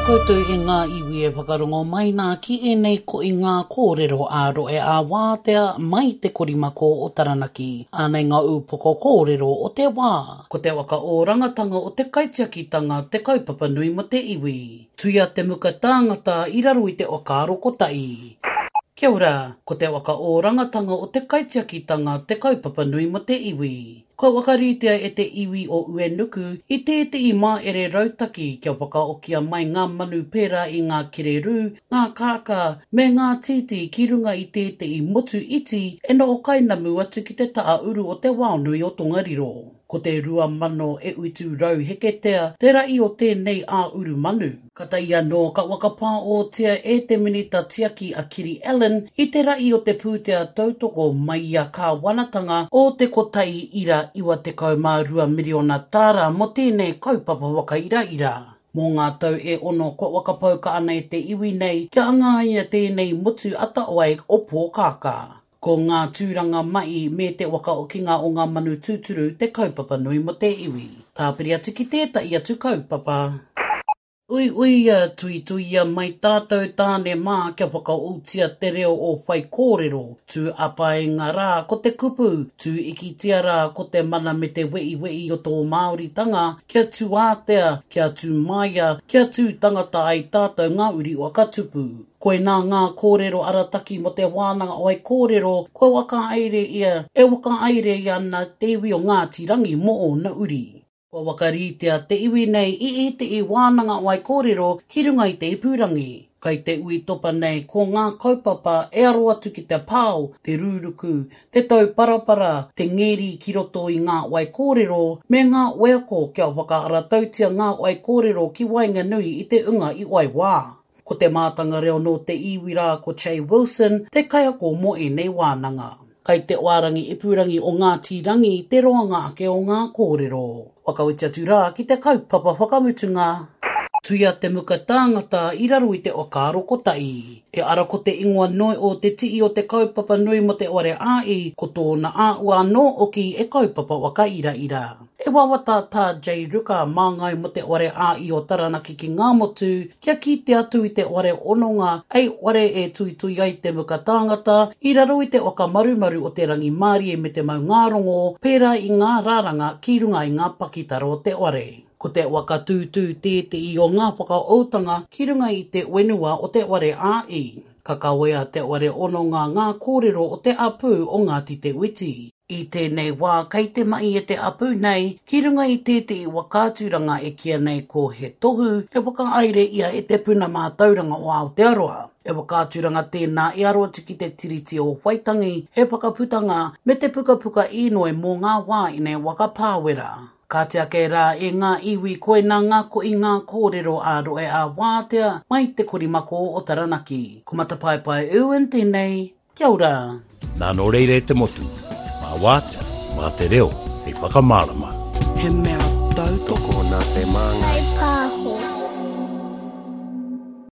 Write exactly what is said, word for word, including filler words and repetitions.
Koutou e ngā iwi e whakarongo mai nā ki ēnei ko i ngā kōrero ā-rohe ā-wātea mai te korimako o Taranaki. Ānei ngā ūpoko kōrero o te wā. Ko te whakaorangatanga o te kaitiakitanga te kaupapa nui mo te iwi. Tuia te muka tāngata i raro i te whakaaro kotahi. Kia ora, ko te whakaorangatanga o te kaitiakitanga te kaupapa nui mo te iwi. Kua whakaritea e te iwi o Uenuku i tētehi māere rautaki kia whakaokia mai ngā manu pērā i ngā kererū, ngā kākā, me ngā tītī ki runga i tētehi motu iti e noho kainamu atu ki te taha uru o te waonui o Tongariro. Ko te rua mano e utu rau heketea te rahi o tēnei ā-uru manu. Katahi anō ka whakapāotia e te Minita Tiaki a Kiri Allan i te rahi o te pūtea tautoko mai i a kāwanatanga o te kotahi ira iwa tekau mā rua miriona tāra mō tēnei kaupapa whakairaira. Mō ngā tau e ono kua whakapauka ana e te iwi nei kia angaia tēnei motu atawhai o Pōkākā. Ko ngā tūranga mai me te whakaokinga o ngā manu tūturu te kaupapa nui mo te iwi. Tāpiri atu ki tētahi atu kaupapa. Uiuia, tuituia mai tātou tāne mā kia whakaoutia te reo o whaikōrero. Tū apainga rā ko te kupu, tū ikitia rā ko te mana me te weiwei o tō Māoritanga, kia tūātea, kia tū maia, kia tū tangata ai tātou ngā uri whakatupu. Koinā ngā kōrero arataki mo te wānanga o kōrero, kua whakahaere ia, e whakahaere ia ana te iwi o Ngāti Rangi mō ōna uri. Kua whakaritea te iwi nei i ētehi wānanga waikōrero ki runga i te ipurangi. Kai te ui topa nei ko ngā kaupapa e aro atu ki te pao, te rūruku, te tauparapara, te ngeri ki roto i ngā waikōrero, me ngā wheako kia whakaaratautia ngā waikōrero ki waenganui i te unga i waiwā. Ko te mātanga reo nō te iwi rā ko Che Wilson, te kaiako mō ēnei wānanga. Kai te wārangi ipurangi o Ngāti Rangi te roanga ake o ngā kōrero. Whakawhiti atu rā ki te kaupapa whakamutunga. Tuia te muka tāngata i raro i te whakaaro kotahi. E ara ko te ingoa noi o te tii o te kaupapa nui mo te ware āi, ko tōna āua anō oki e kaupapa whakairaira. E wawata tā J. Ruka māngai mo te ware āi o Taranaki ki ngā motu, kia kite atu i te ware ononga ei ware e tuitui ai te muka tāngata i raro i te whakamarumaru o te rangimārie me te maungārongo, pērā i ngā raranga ki runga i ngā pakitara o te ware. Ko te whakatūtū tētehi o ngā whakaoutanga ki runga i te whenua o te ware āi. Ka kawea te ware ononga ngā kōrero o te apū o Ngāti Te Witi. I tēnei wā kei te mahi e te apū nei ki runga i tētehi whakaaturanga e kīia nei ko He Tohu e whakahaere ia e te Puna Mātauranga o Aotearoa. E whakaaturanga tēnā e aro atu ki te Tiriti o Waitangi, he whakaputanga me te pukapuka īnoi mō ngā wā ine whakapāwera. Ka tiake rā e ngā iwi koinā ngā ko i ngā kōrero a rohe a wātea mai te korimako o Taranaki. Ko Matapaepae Irwin tēnei, kia ora. Nā nō reira e te motu, mā wātea, mā te reo, hei whakamārama. He mea tautoko Tokona te māngai.